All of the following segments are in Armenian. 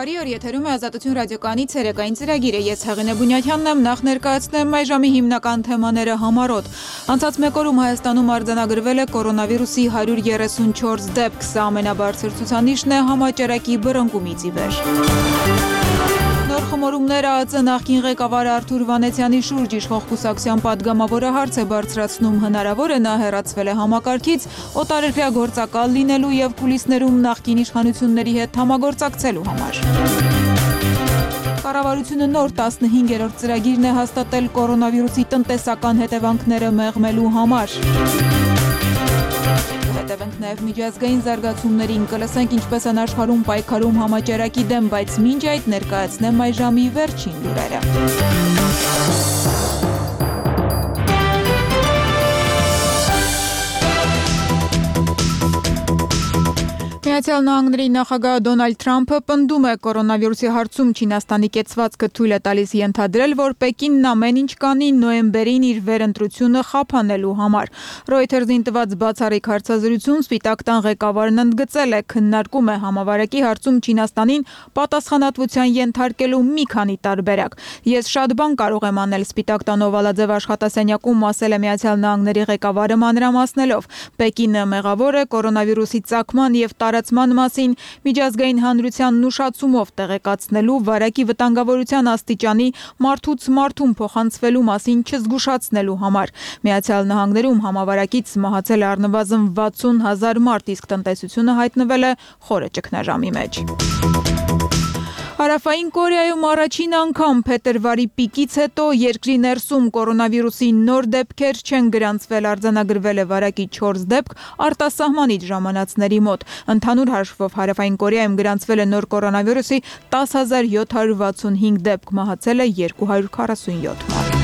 Բարի օր, եթերում է Ազատություն ռադիոկայանի ցերեկային ծրագիրը։ Ես Հեղինե Բունյաթյանն եմ, նախ ներկայացնեմ այս ժամի հիմնական թեմաները համառոտ։ Անցած մեկ օրում Հայաստանում արձանագրվել է կորոնավիրուսի 134 դեպք, սա ամենաբարձր ցուցանիշն է համաճարակի բռնկումից ի վեր։ Նոր խմորումները ԱԾ նախկին ղեկավար Արթուր Վանեցյանի շուրջ իշխող կուսակցության պատգամավորը հարց է բարձրացնում, հնարավոր է նա հեռացվել է համակարգից, օտարերկրյա գործակալ լինելու եւ կուլիսներում նախկին իշխանությունների հետ համագործակցելու համար։ Կառավարությունը նոր 15-րդ ծրագիրն է հաստատել կորոնավիրուսի տնտեսական հետևանքները մեղմելու համար։ Հետևենք նաև միջազգային զարգացումներին, կլսենք ինչպես են աշխարհում պայքարում համաճարակի դեմ, բայց մինչ այդ ներկայացնեմ այս ժամի վերջին լուրերը։ Միացյալ Նահանգների նախագահ Դոնալդ Թրամփը պնդում է կորոնավիրուսի հարցում Չինաստանի կեցվածքը թույլ է տալիս ենթադրել, որ Պեկինն ամեն ինչ կանի նոյեմբերին իր վերընտրությունը խափանելու համար։ Reuters-ին տված բացառիկ հարցազրույցում Սպիտակ տան ղեկավարն ընդգծել է, քննարկում է համավարակի հարցում Չինաստանին պատասխանատվության ենթարկելու մի քանի տարբերակ։ Ես շատ բան կարող եմ անել, Սպիտակ տան օվալաձև աշխատասենյակում ասել է Միացյալ Նահանգների ղեկավարը մանրամասնելով։ Պեկինը մեղավոր է կորոնավիրուսի ծագման եւ տարածման մասին միջազգային հանրությանն ուշացումով տեղեկացնելու, վարակի վտանգավորության աստիճանի մարդուց մարդուն փոխանցվելու մասին չզգուշացնելու համար։ Միացյալ Նահանգներում համավարակից մահացել է առնվազն 60,000 մարդ, իսկ տնտեսությունը հայտնվել է խորը ճգնաժամի մեջ։ Հարավային Կորեայում առաջին անգամ փետրվարի պիկից հետո երկրի ներսում կորոնավիրուսի նոր դեպքեր չեն գրանցվել, արձանագրվել է վարակի 4 դեպք արտասահմանից ժամանածների մոտ։ Ընդհանուր հաշվով Հարավային Կորեայում գրանցվել է նոր կորոնավիրուսի 10,765 դեպք, մահացել է 247 մարդ։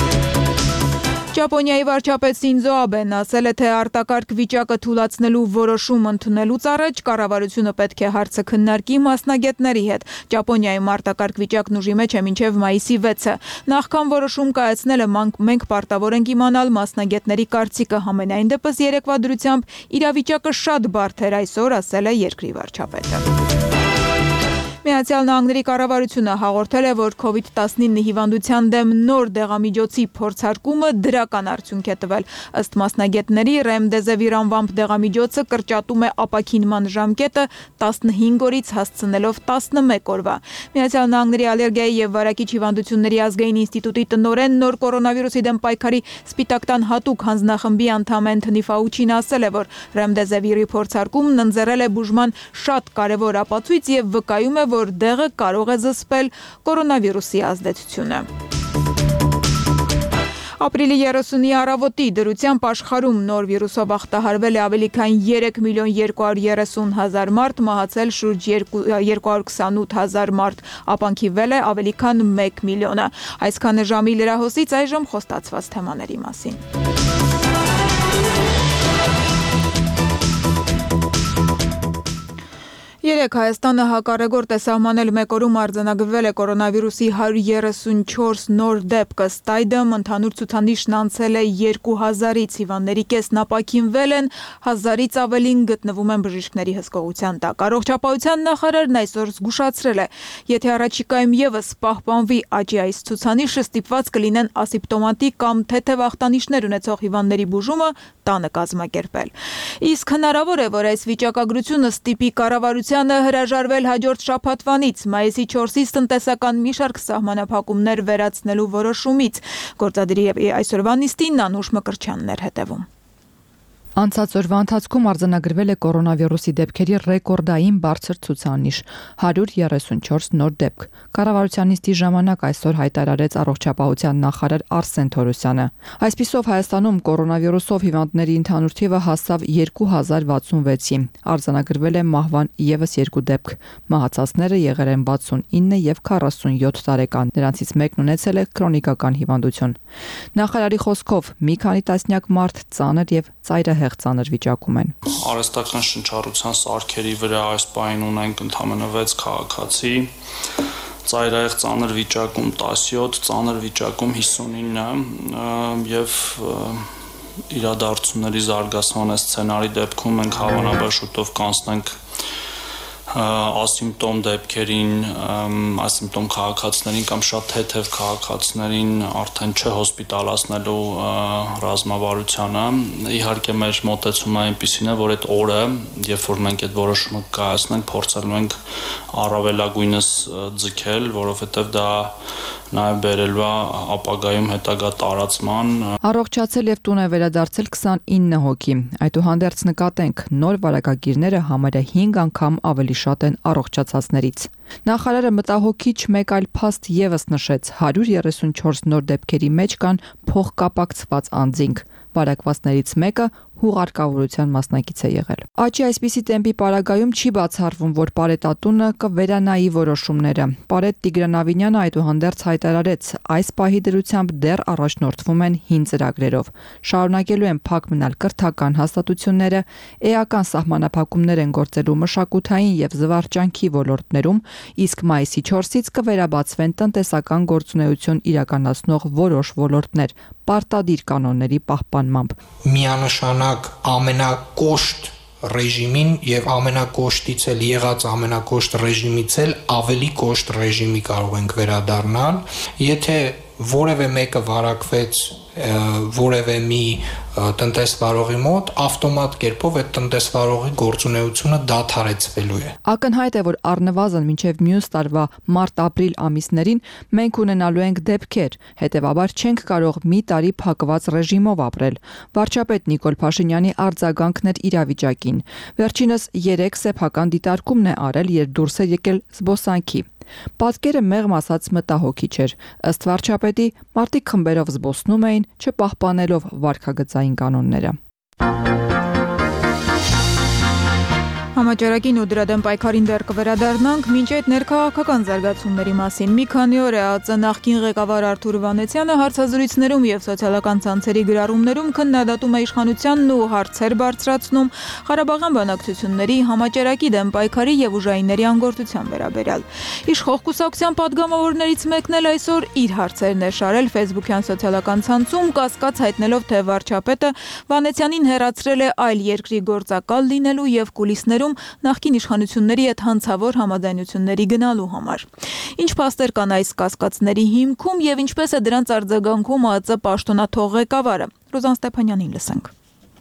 Ճապոնիայի վարչապետ Սինզո Աբեն ասել է, թե արտակարգ վիճակը թույլատնելու որոշում ընդունելուց առաջ կառավարությունը պետք է հարցը քննարկի մասնագետների հետ։ Ճապոնիայում արտակարգ վիճակն ուժի մեջ է մինչև մայիսի 6-ը։ Նախքան որոշում կայացնելը մենք պարտավոր ենք իմանալ մասնագետների կարծիքը, համենայն դեպս երեկվա դրությամբ իրավիճակը շատ բարդ էր այսօր, ասել է երկրի վարչապետը։ Միացյալ Նահանգների կառավարությունը հաղորդել է, որ COVID-19 հիվանդության դեմ նոր դեղամիջոցի փորձարկումը դրական արդյունք է տվել։ Ըստ մասնագետների, Remdesivir անվամբ դեղամիջոցը կրճատում է ապաքինման ժամկետը 15 օրից հասցնելով 11 օրվա։ Միացյալ Նահանգների ալերգիայի եւ վարակիչ հիվանդությունների ազգային ինստիտուտի տնօրեն նոր կորոնավիրուսի դեմ պայքարի Սպիտակ տան հատուկ հանձնախմբի անդամ Անթոնի Ֆաուչին ասել է, որ Remdesivir-ի փորձարկումն ընձեռել է բուժման շատ կարևոր ապացույց եւ վկայում է, որ դեղը կարող է զսպել կորոնավիրուսի ազդեցությունը։ Ապրիլի 30-ի առավոտի դրությամբ աշխարհում նոր վիրուսով ախտահարվել է ավելի քան 3,230,000 մարդ, մահացել շուրջ 228,000 մարդ, ապանքիվել է ավելի քան 1 միլիոնը։ Այսքանը ժամի լրահոսից, այժմ խոստացված թեմաների մասին։ Երեկ Հայաստանը հակառեգորդ է սահմանել մեկ օրում արձանագրվել է կորոնավիրուսի 134 նոր դեպք, ըստ այդմ ընդհանուր ցուցանիշն անցել է 2000-ից, հիվանդների կեսն ապաքինվել են, 1000-ից ավելին գտնվում են բժիշկների հսկողության տակ։ Առողջապահության նախարարն այսօր զգուշացրել է, եթե առաջիկայում եւս պահպանվի աճի այս ցուցանիշը, ստիպված կլինեն ասիմպտոմատիկ կամ թեթև ախտանիշներ ունեցող հիվանդների բուժումը տանը կազմակերպել։ Իսկ հնարավոր է, որ այս վիճակագրությունը ստիպի կառավարությանը հրաժարվել հաջորդ շաբաթվանից մայիսի 4-ից տնտեսական մի շարք սահմանափակումներ վերացնելու որոշումից։ Գործադիրի այսօրվա նիստին Անուշ Մկրտչյանն էր հետևում։ Անցած օրվա ընթացքում արձանագրվել է կորոնավիրուսի դեպքերի ռեկորդային բարձր ցուցանիշ՝ 134 նոր դեպք։ Կառավարության նիստի ժամանակ այսօր հայտարարեց առողջապահության նախարար Արսեն Թորոսյանը։ Այսպիսով Հայաստանում կորոնավիրուսով հիվանդների ընդհանուր թիվը հասավ 2066-ի։ Արձանագրվել է մահվան եւս 2 դեպք։ Մահացածները եղել են 69 եւ 47 տարեկան։ Նրանցից մեկն ունեցել է քրոնիկական հիվանդություն։ Նախարարի խոսքով մի քանի տասնյակ մարդ ծանր եւ ծայրահեղ ծանր վիճակում են։ Արհեստական շնչառության սարքերի վրա այս պահին ունենք ընդամենը 6 քաղաքացի, ծայրահեղ ծանր վիճակում 17, ծանր վիճակում 59 եւ իրադարձությունների զարգացման սցենարի դեպքում մենք հավանաբար շուտով կանցնենք ասիմպտոմ դեպքերին, ասիմպտոմ քաղաքացիներին կամ շատ թեթև քաղաքացիներին արդեն չհոսպիտալացնելու ռազմավարությանը։ Իհարկե մեր մոտեցումը այնպիսին է, որ այդ օրը, երբ որ մենք այդ որոշումը կայացնենք, փորձելու ենք առավելագույնս ձգել, որովհետև դա նաև բերելու է ապագայում հետագա տարածման։ Առողջացել եւ տուն է վերադարձել 29 հոգի։ Այդուհանդերձ նկատենք, նոր վարակագիրները համարյա 5 անգամ ավելի շատ են առողջացածներից։ Նախարարը մտահոգիչ մեկ այլ փաստ եւս նշեց. 134 նոր դեպքերի մեջ կան փոխկապակցված անձինք։ Վարակվածներից մեկը հուղարկավորության մասնակից է եղել։ Աճի այսպիսի տեմպի պարագայում չի բացառվում, որ Պարետատունը կվերանայի որոշումները։ Պարետ Տիգրան այդուհանդերձ հայտարարեց, այս պահի դրությամբ դեռ առաջնորդվում են հին ծրագրերով։ Շարունակելու են փակ մնալ կրթական հաստատությունները, էական սահմանափակումներ են գործելու մշակութային եւ զվարճանքի ոլորտներում, իսկ մայիսի 4-ից կվերաբացվեն տնտեսական գործունեություն իրականացնող որոշ ոլորտներ, պարտադիր կանոնների պահպանմամբ։ Միանշանակ ամենակոշտ ռեժիմին եւ ամենակոշտից էլ եղած ամենակոշտ ռեժիմից էլ ավելի կոշտ ռեժիմի կարող ենք վերադառնալ, եթե որևէ մեկը վարակվեց որևէ մի տնտեսվարողի մոտ, ավտոմատ կերպով այդ տնտեսվարողի գործունեությունը դադարեցվելու է։ Ակնհայտ է, որ առնվազն մինչև մյուս տարվա մարտ-ապրիլ ամիսներին մենք ունենալու ենք դեպքեր, հետևաբար չենք կարող մի տարի փակված ռեժիմով ապրել։ Վարչապետ Նիկոլ Փաշինյանի արձագանքն էր իրավիճակին։ Վերջինս 3 սեփական դիտարկումն է արել, երբ դուրս է եկել զբոսանքի։ Պատկերը մեղմ ասած մտահոգիչ էր։ Ըստ վարչապետի, մարդիկ խմբերով զբոսնում էին, չպահպանելով վարքագծային կանոնները։ Համաճարակին ու դրա դեմ պայքարին դեռ կվերադառնանք, մինչ այդ ներքաղաքական զարգացումների մասին։ Մի քանի օր է ԱԾ նախկին ղեկավար Արթուր Վանեցյանը հարցազրույցներում եւ սոցիալական ցանցերի գրառումներում քննադատում է իշխանությանն ու հարցեր բարձրացնում Ղարաբաղյան բանակցությունների, համաճարակի դեմ պայքարի եւ ուժայինների անգործության վերաբերյալ։ Իշխող կուսակցության падգամավորներից մեկն էլ այսօր իր հարցերն է շարել Facebook-յան սոցիալական ցանցում, կասկած հայտնելով, թե վարչապետը Վանեցյանին հեռացրել է այլ երկրի գործակալ լինելու եւ կուլիսներում նախկին իշխանությունների հետ հանցավոր համաձայնությունների գնալու համար։ Ինչ փաստեր կան այս կասկածների հիմքում եւ ինչպես է դրանց արձագանքում ԱԾ պաշտոնաթող ղեկավարը։ Ռոզան Ստեփանյանին լսենք։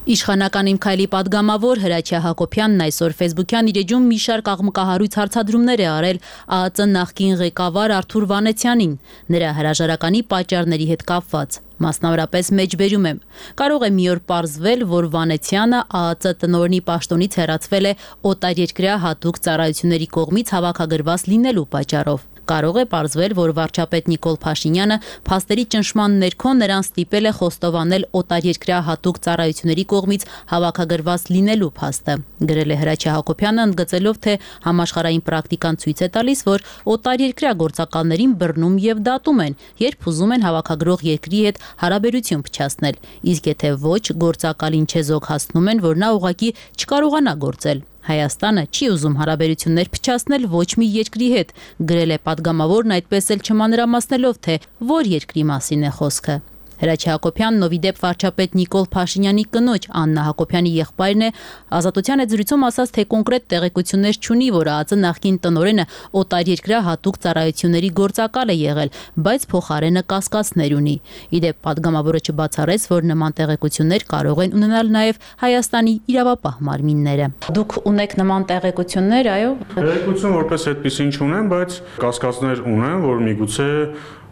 Իշխանական Իմ քայլի падգամավոր Հրաչյա Հակոբյանն այսօր Facebook-յան իր էջում մի շարք աղմկահարույց հարցադրումներ է արել ԱԱԾ նախկին ղեկավար Արթուր Վանեցյանին, նրա հրաժարականի պատճառների հետ կապված։ Մասնավորապես մեջբերում եմ. կարող է մի օր պարզվել, որ Վանեցյանը ԱԱԾ տնօրենի պաշտոնից հեռացվել է օտարերկրյա հատուկ ծառայությունների կողմից հավաքագրված լինելու պատճառով։ Կարող է պարզվել, որ վարչապետ Նիկոլ Փաշինյանը փաստերի ճնշման ներքո նրան ստիպել է խոստովանել օտարերկրյա հատուկ ծառայությունների կողմից հավաքագրված լինելու փաստը։ Գրել է Հրաչյա Հակոբյանը, ընդգծելով, թե համաշխարհային պրակտիկան ցույց է տալիս, որ օտարերկրյա գործակալներին բռնում եւ դատում են, երբ ուզում են հավաքագրող երկրի հետ հարաբերություն փչացնել, իսկ եթե ոչ, գործակալին չեզոք հասնում են, որ նա ուղղակի չկարողանա գործել։ Հայաստանը չի ուզում հարաբերություններ փչացնել ոչ մի երկրի հետ, գրել է падգամավորն այդպես էլ չմանրամասնելով, թե որ երկրի մասին է խոսքը։ Հրաչյա Հակոբյանն ով ի դեպ վարչապետ Նիկոլ Փաշինյանի կնոջ Աննա Հակոբյանի եղբայրն է, Ազատության զրույցում ասաց, թե կոնկրետ տեղեկություններ չունի, որ ԱԱԾ նախկին տնօրենը օտարերկրյա հատուկ ծառայությունների գործակալ է եղել, բայց փոխարենը կասկածներ ունի։ Ի դեպ падգամավորը չբացառեց, որ նման տեղեկություններ կարող են ունենալ նաև Հայաստանի իրավապահ մարմինները։ Դուք ունեք նման տեղեկություններ, այո։ Տեղեկություն որպես այդպեսին չունեմ, բայց կասկածներ ունեմ, որ միգուցե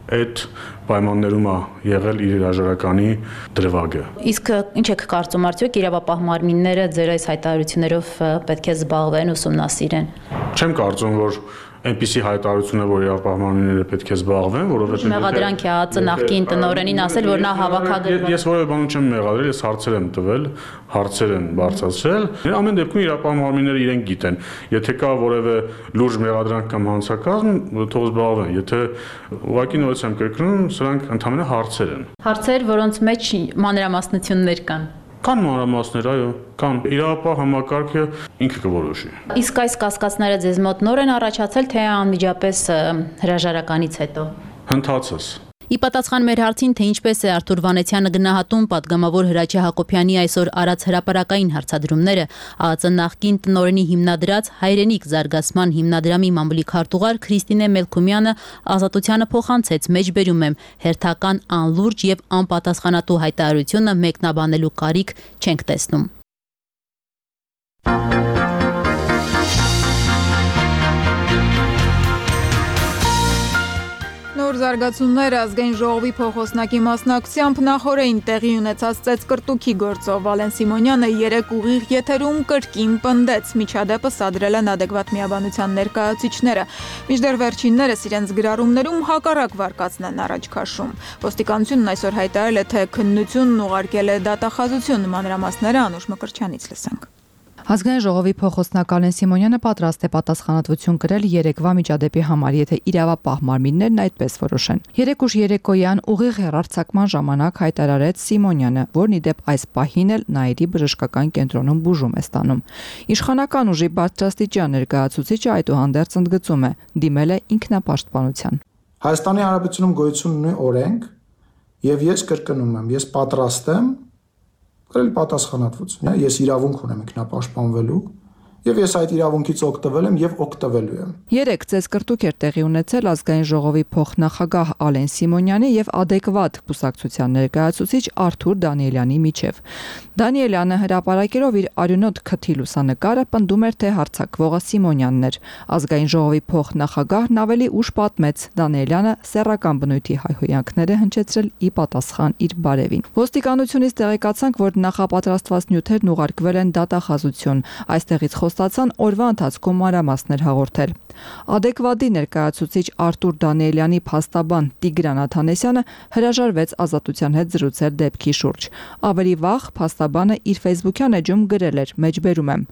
այդ պայմաններում է եղել իր հրաժարականի դրվագը։ Իսկ ինչ եք կարծում, արդյոք իրավապահ մարմինները ձեր այս հայտարարություններով պետք է զբաղվեն, ուսումնասիրեն։ Չեմ կարծում, որ այնպիսի հայտարարություն է, որ իրավապահ մարմինները պետք է զբաղվեն, որովհետեւ մեղադրանք է ԱԱԾ նախկին տնօրենին ասել, որ նա հավաքագրված։ Ես որևէ բան չեմ մեղադրել, ես հարցեր եմ տվել, հարցեր են բարձրացրել։ Ամեն դեպքում իրավապահ մարմինները իրենք գիտեն։ Եթե կա որևէ լուրջ մեղադրանք կամ հանցակազմ, թող զբաղվեն։ Եթե ուղղակի նորից եմ կրկնում, սրանք ընդհանրապես հարցեր են։ Հարցեր, որոնց մեջ մանրամասնություններ կան։ Կան մանրամասներ, այո, կան։ Իրավապահ համակարգը ինքը կորոշի։ Իսկ այս կասկածները ձեզ մոտ նոր են առաջացել, թե անմիջապես հրաժարականից հետո։ Հնդածս։ Ի պատասխան մեր հարցին, թե ինչպես է Արթուր Վանեցյանը գնահատում պատգամավոր Հրաչյա Հակոբյանի այսօր արած հրապարակային հարցադրումները, ԱԱԾ նախկին տնօրենի հիմնադրած Հայրենիք զարգացման հիմնադրամի մամուլի քարտուղար Քրիստինե Մելքումյանը Ազատությանը փոխանցեց, մեջբերում եմ, հերթական անլուրջ եւ անպատասխանատու հայտարարությունը մեկնաբանելու կարիք չենք տեսնում։ Նոր զարգացումներ ազգային ժողովի փոխոսնակի մասնակցությամբ նախորդին տեղի ունեցած ծեծկրտուքի գործով Վալեն Սիմոնյանը 3 ուղիղ եթերում կրկին պնդեց, միջադեպը սադրել են adekvat միաբանության ներկայացուցիչները, մինչդեռ վերջիններս իրենց գրառումներում հակառակ վարկածն են առաջ քաշում։ Ոստիկանությունն այսօր հայտարարել է, թե քննությունն ուղարկել է դատախազություն, մանրամասները Անուշ Մկրտչյանից լսենք։ Ազգային ժողովի փոխոսնակ Վալեն Սիմոնյանը պատրաստ է պատասխանատվություն կրել երեկվա միջադեպի համար, եթե իրավապահ մարմիններն այդպես որոշեն։ 3 ուշ երեկոյան ուղիղ հեռարձակման ժամանակ հայտարարեց Սիմոնյանը, որն ի դեպ այս պահին էլ Նաիրի բժշկական կենտրոնում բուժում է ստանում։ Իշխանական ուժի բարձրաստիճան ներկայացուցիչը այդուհանդերձ ընդգծում է, դիմել է ինքնապաշտպանության։ Հայաստանի Հանրապետությունում գոյություն ունի օրենք, եւ ես կրկնում եմ, ես պատրաստ եմ կրել պատասխանատվություն։ Ես իրավունք ունեմ ինքնապաշտպանվելու եւ ես այդ իրավունքից օգտվել եմ եւ օգտվելու եմ։ 3 ծեծկրտուք էր տեղի ունեցել ազգային ժողովի փոխնախագահ Ալեն Սիմոնյանի եւ adekvat կուսակցության ներկայացուցիչ Արթուր Դանիելյանի միջև։ Դանիելյանը հրապարակելով իր արյունոտ քթի լուսանկարը պնդում էր, թե հարձակվողը Սիմոնյանն էր։ Ազգային ժողովի փոխնախագահն ավելի ուշ պատմեց, Դանիելյանը սեռական բնույթի հայհոյանքները հնչեցրել ի պատասխան իր բարևին։ Ոստիկանությունից տեղեկացանք, որ նախապատրաստված նյութերն ուղարկվել են դատախազություն։ Այստեղից ստացան օրվա ընթացքում մանրամասներ հաղորդել։ Adekvat-ի ներկայացուցիչ Արթուր Դանիելյանի փաստաբան Տիգրան Աթանեսյանը հրաժարվեց ազատության հետ զրուցել դեպքի շուրջ։ Ավելի վաղ փաստաբանը իր Facebook-յան էջում գրել էր, մեջբերում եմ.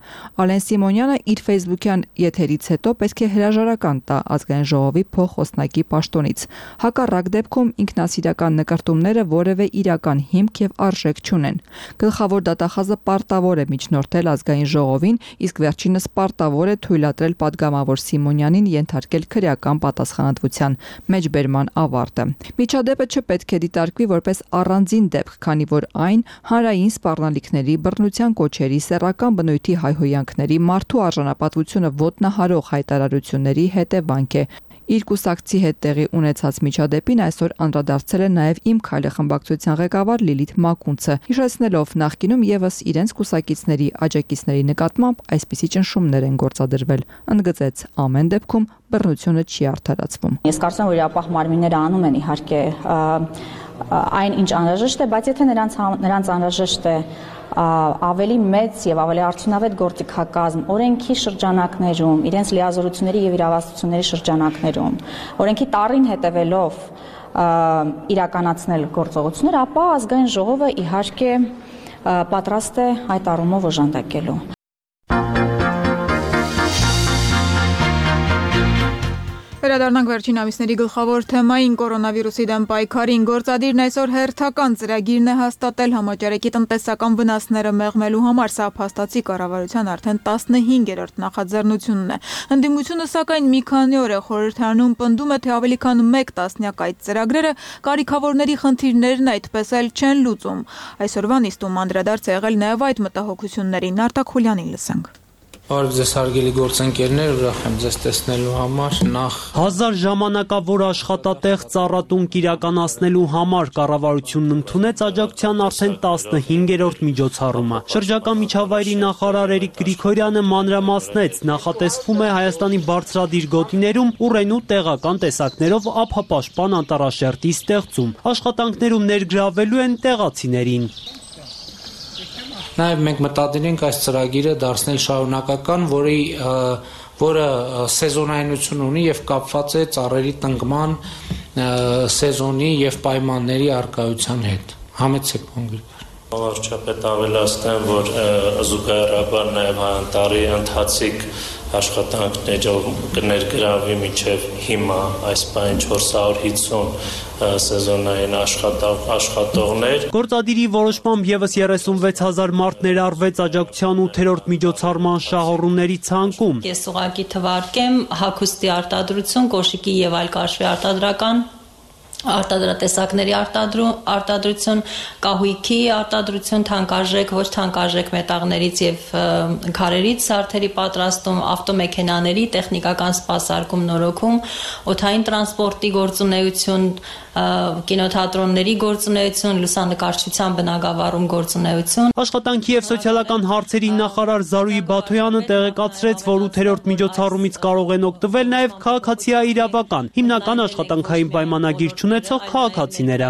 Ալեն Սիմոնյանը իր Facebook-յան եթերից հետո պետք է հրաժարական տա ազգային ժողովի փոխոսնակի պաշտոնից։ Հակառակ դեպքում ինքնասիրական նկարտումները որևէ իրական հիմք եւ արժեք չունեն։ Գլխավոր դատախազը պարտավոր է միջնորդել ազգային ժողովին, իսկ վերջինս պարտավոր է թույլատրել падգամավոր Սիմոնյանին ենթարկել քրեական պատասխանատվության մեջբերման ավարտը։ Միջադեպը չպետք է դիտարկվի որպես առանձին դեպք, քանի որ այն հանրային սպառնալիքների, բռնության կոչերի, սեռական բնույթի հայհոյանքների, մարդու արժանապատվությունը ոտնահարող հայտարարությունների հետևանք է։ Իր կուսակցի հետ տեղի ունեցած միջադեպին այսօր անդրադարձել է նաև Իմ քայլը խմբակցության ղեկավար Լիլիթ Մակունցը, հիշեցնելով նախկինում եւս իրենց կուսակիցների աջակիցների նկատմամբ այսպիսի ճնշումներ են գործադրվել։ Ընդգծեց, ամեն դեպքում բռնությունը չի արդարացվում։ Ես կարծում եմ, որ իրավապահ մարմինները անում են իհարկե այն ինչ անհրաժեշտ է, բայց եթե նրանց անհրաժեշտ է ավելի մեծ եւ ավելի արդյունավետ գործիքակազմ օրենքի շրջանակներում, իրենց լիազորությունների եւ իրավասությունների շրջանակներում, օրենքի տառին հետևելով իրականացնել գործողություններ, ապա ազգային ժողովը իհարկե պատրաստ է այդ առումով օժանդակելու։ Վերադառնանք վերջին ամիսների գլխավոր թեմային կորոնավիրուսի դեմ պայքարին։ Գործադիրն այսօր հերթական ծրագիրն է հաստատել համաճարակի տնտեսական վնասները մեղմելու համար։ Սա փաստացի կառավարության արդեն 15-րդ նախաձեռնությունն է։ Ընդդիմությունը սակայն մի քանի օր է խորհրդարանում պնդում է, թե ավելի քան 1 տասնյակ այդ ծրագրերը կարիքավորների խնդիրներն այդպես էլ չեն լուծում։ Այսօրվա նիստում անդրադարձ է եղել նաև այդ մտահոգություններին։ Արտակ Խուլյանին լսենք։ Բարև ձեզ հարգելի գործընկերներ, ուրախ եմ ձեզ տեսնելու համար։ Նախ 1000 ժամանակավոր աշխատատեղ ծառատունկ իրականացնելու համար կառավարությունն ընդունեց աջակցության արդեն 15-րդ միջոցառումը։ Շրջակա միջավայրի նախարար Էրիկ Գրիգորյանը մանրամասնեց, նախատեսվում է Հայաստանի բարձրադիր գոտիներում ուռենու տեղական տեսակներով ափապաշտպան անտառաշերտի ստեղծում։ Աշխատանքներում ներգրավելու են տեղացիներին։ Նաև մենք մտադիր ենք այս ծրագիրը դարձնել շարունակական, որը սեզոնայնություն ունի եւ կապված է ծառերի տնկման սեզոնի եւ պայմանների առկայության հետ։ Համեցեք կոնկրետ։ Վարչապետ ավելացնեմ, որ զուգահեռաբար նաև անտառի ընթացիկ աշխատանքներով կներգրավվի մինչև հիմա այս պայն 450 սեզոնային աշխատողներ։ Գործադիրի որոշմամբ եւս 36000 մարդ ներառվեց աջակցության 8-րդ միջոցառման շահառուների ցանկում։ Ես ուղղակի թվարկեմ հագուստի արտադրություն, կոշիկի եւ այլ կաշվի արտադրական արտադրատեսակների արտադրություն, կահույքի արտադրություն, թանկարժեք, ոչ թանկարժեք մետաղներից եւ քարերից սարդերի պատրաստում, ավտոմեքենաների տեխնիկական սպասարկում, նորոգում, օդային տրանսպորտի գործունեություն, կինոթատրոնների գործունեություն, լուսանկարչության բնագավառում գործունեություն։ Աշխատանքի եւ սոցիալական հարցերի նախարար Զարուհի Բաթոյանը տեղեկացրեց, որ 8-րդ միջոցառումից կարող են օգտվել նաեւ քաղաքացիաիրավական, հիմնական աշխատանքային պայմանագիր ունեցող քաղաքացիները։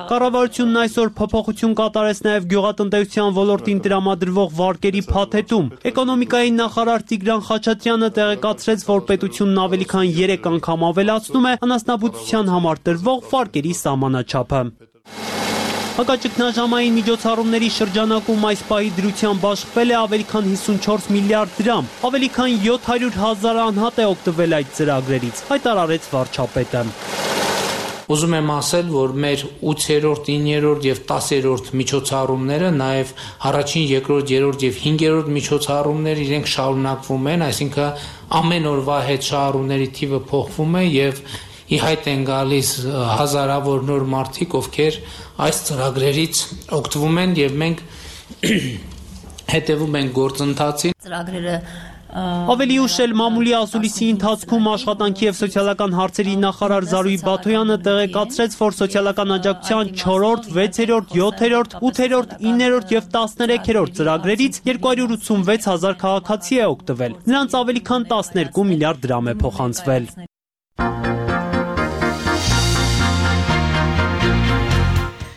Կառավարությունն այսօր փոփոխություն կատարեց նաև գյուղատնտեսության ոլորտին տրամադրվող վարկերի փաթեթում։ Էկոնոմիկայի նախարար Տիգրան Խաչատրյանը տեղեկացրեց, որ պետությունն ավելի քան 3 անգամ ավելացնում է անասնաբուծության համար տրվող վարկերի սահմանաչափը։ Հակաճգնաժամային միջոցառումների շրջանակում այս պահի դրությամբ աշխատել է ավելի քան 54 միլիարդ դրամ, ավելի քան 700,000 անհատ է օգտվել այդ ծրագրերից, հայտարարեց վարչապետը։ Ուզում եմ ասել, որ մեր 8-րդ, 9-րդ եւ 10-րդ միջոցառումները, նաեւ առաջին, երկրորդ, երրորդ եւ 5-րդ միջոցառումները իրենք շարունակվում են, այսինքն ամեն օրվա հետ շահառուների թիվը փոխվում է եւ ի հայտ են գալիս հազարավոր նոր մարդիկ, ովքեր այս ծրագրերից օգտվում են եւ մենք հետեւում ենք գործընթացին։ Ծրագրերը Ավելի ուշ էլ մամուլի ասուլիսի ընթացքում աշխատանքի եւ սոցիալական հարցերի նախարար Զարուհի Բաթոյանը տեղեկացրեց, որ սոցիալական աջակցության 4-րդ, 6-րդ, 7-րդ, 8-րդ, 9-րդ եւ 13-րդ ծրագրերից 286,000 քաղաքացի է օգտվել։ Նրանց ավելի քան 12 միլիարդ դրամ է փոխանցվել։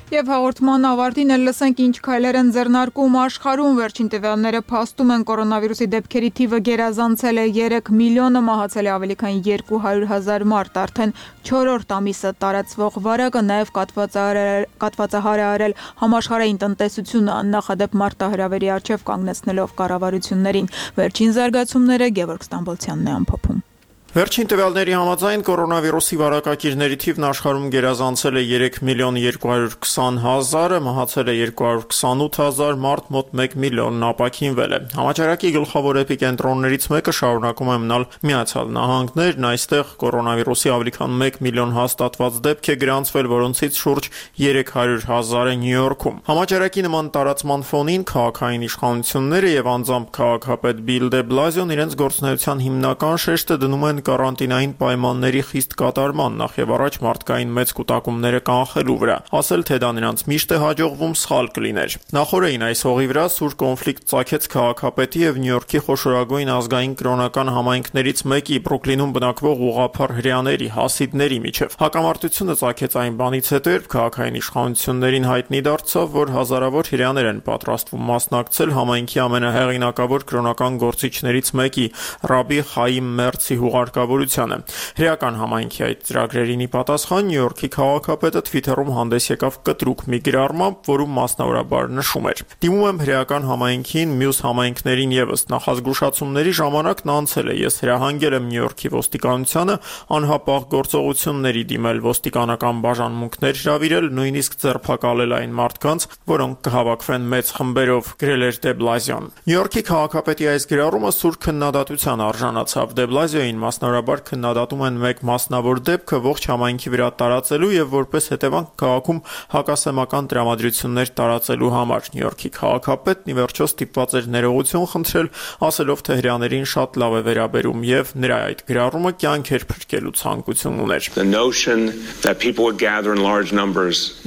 Եվ հաղորդման ավարտին էլ լսենք ինչ քայլեր են ձեռնարկում աշխարհում վերջին տվյալները փաստում են կորոնավիրուսի դեպքերի թիվը գերազանցել է 3 միլիոնը, մահացել է ավելի քան 200,000 մարդ, արդեն 4-րդ ամիսը տարածվող վարակը նաև կաթվածահար է արել համաշխարհային տնտեսությունը աննախադեպ մարտահրավերի առջև կանգնեցնելով կառավարություններին։ Վերջին զարգացումները Գևորգ Ստամբոլցյանն է ամփոփում։ Վերջին տվյալների համաձայն կորոնավիրուսի վարակակիրների թիվն աշխարհում գերազանցել է 3.220.000, մահացել է 228,000 մարդ, մոտ 1 միլիոնն ապաքինվել է։ Համաճարակի գլխավոր էպիկենտրոններից մեկը շարունակում է մնալ Միացյալ Նահանգներն, այստեղ կորոնավիրուսի ավելի քան 1 միլիոն հաստատված դեպք է գրանցվել, որոնցից շուրջ 300,000-ը Նյու Յորքում։ Համաճարակի նման տարածման ֆոնին քաղաքային իշխանությունները եւ անձամբ քաղաքապետ Բիլ դե Բլազիոն իրենց գործունեության հիմնական շեշտը դնում են կարանտինային պայմանների խիստ կատարման, նախ եւ առաջ մարդկային մեծ կուտակումները կանխելու վրա, ասել թե դա նրանց միշտ է հաջողվում սխալ կլիներ։ Նախորդին այս հողի վրա սուր կոնֆլիկտ ծագեց քաղաքապետի եւ Նյու Յորքի խոշորագույն ազգային կրոնական համայնքներից մեկի Բրուքլինում բնակվող ուղղափառ հրեաների հասիդների միջև։ Հակամարտությունը ծագեց այն բանից հետո, երբ քաղաքային իշխանություններին հայտնի դարձավ, որ հազարավոր հրեաներ են պատրաստվում մասնակցել համայնքի ամենահեղինակավոր կրոնական գործիչներից մեկի Ռաբի Խայիմ Մերցի հուղարկավորությանը։ Հրեական համայնքի այդ ծրագրերին ի պատասխան Նյու Յորքի քաղաքապետը Twitter-ում հանդես եկավ կտրուկ մի գրառմամբ, որում մասնավորաբար նշում էր. «Դիմում եմ հրեական համայնքին, մյուս համայնքներին եւս նախազգուշացումների ժամանակ նա անցել է։ Ես հրահանգել եմ Նյու Յորքի ոստիկանությանը անհապաղ գործողությունների դիմել, ոստիկանական բաժանմունքներ հրավիրել, նույնիսկ ձերբակալել այն մարդկանց, որոնք կհավաքվեն մեծ խմբերով», գրել էր դե Բլազիոն։ Նյու Յորքի քաղաքապետի այս գրառումը սուր քննադատության արժանացավ։ Դե Բլազիոին մասնավորաբար քննադատում են մեկ մասնավոր դեպքը ողջ համայնքի վրա տարածելու եւ որպես հետևանք քաղաքում հակասեմական տրամադրություններ տարածելու համար։ Նյու Յորքի քաղաքապետն ի վերջո ստիպված էր ներողություն խնդրել, ասելով թե հրեաներին շատ լավ է վերաբերում եւ նրա այդ գրառումը կյանք էր փրկելու ցանկություն ուներ։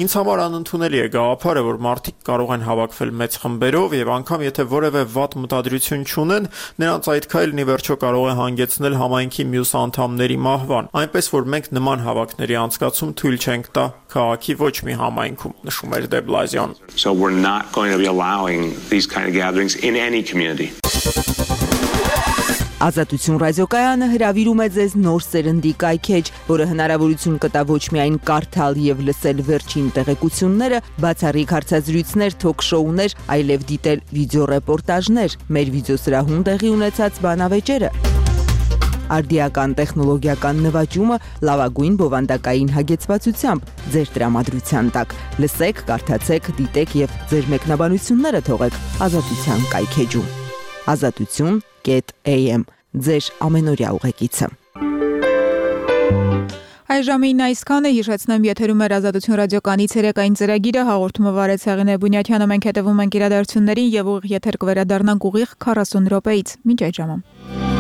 Ինձ համար անընդունելի է գաղափարը, որ մարդիկ կարող են հավաքվել մեծ խմբերով եւ անգամ եթե որևէ վատ մտադրություն չունեն, նրանց այդ քայլն ի վերջո կարող է հանգեցնել համայնքի մյուս անդամների մահվան, այնպես որ մենք նման հավաքների անցկացում թույլ չենք տա քաղաքի ոչ մի համայնքում, նշում էր դե Բլազիոն։ So we're not going to be allowing these kind of gatherings in any community. Ազատություն ռադիոկայանը հրավիրում է ձեզ նոր սերնդի կայքեջ, որը հնարավորություն կտա ոչ միայն կարդալ եւ լսել վերջին տեղեկությունները, բացառիկ հարցազրույցներ, թոք-շոուներ, այլև դիտել վիդեոռեպորտաժներ, մեր վիդեոսրահում տեղի ունեցած բանավեճերը, արդիական տեխնոլոգիական նվաճումը լավագույն բովանդակային հագեցվածությամբ ձեր տրամադրության տակ։ Լսեք, կարդացեք, դիտեք եւ ձեր մեկնաբանությունները թողեք Ազատության կայքեջում։ Ազատություն.am ձեր ամենօրյա ուղեկիցը։ Այժմին այսքանը հիշեցնեմ եթերում էր Ազատություն ռադիոկանի ցերեկային ծրագիրը հաղորդումը վարեց Հեղինե Բունյաթյանը մենք հետևում ենք իրադարձություններին եւ ուղիղ եթեր կվերադառնանք ուղիղ 40 րոպեից մինչ այդ ժամը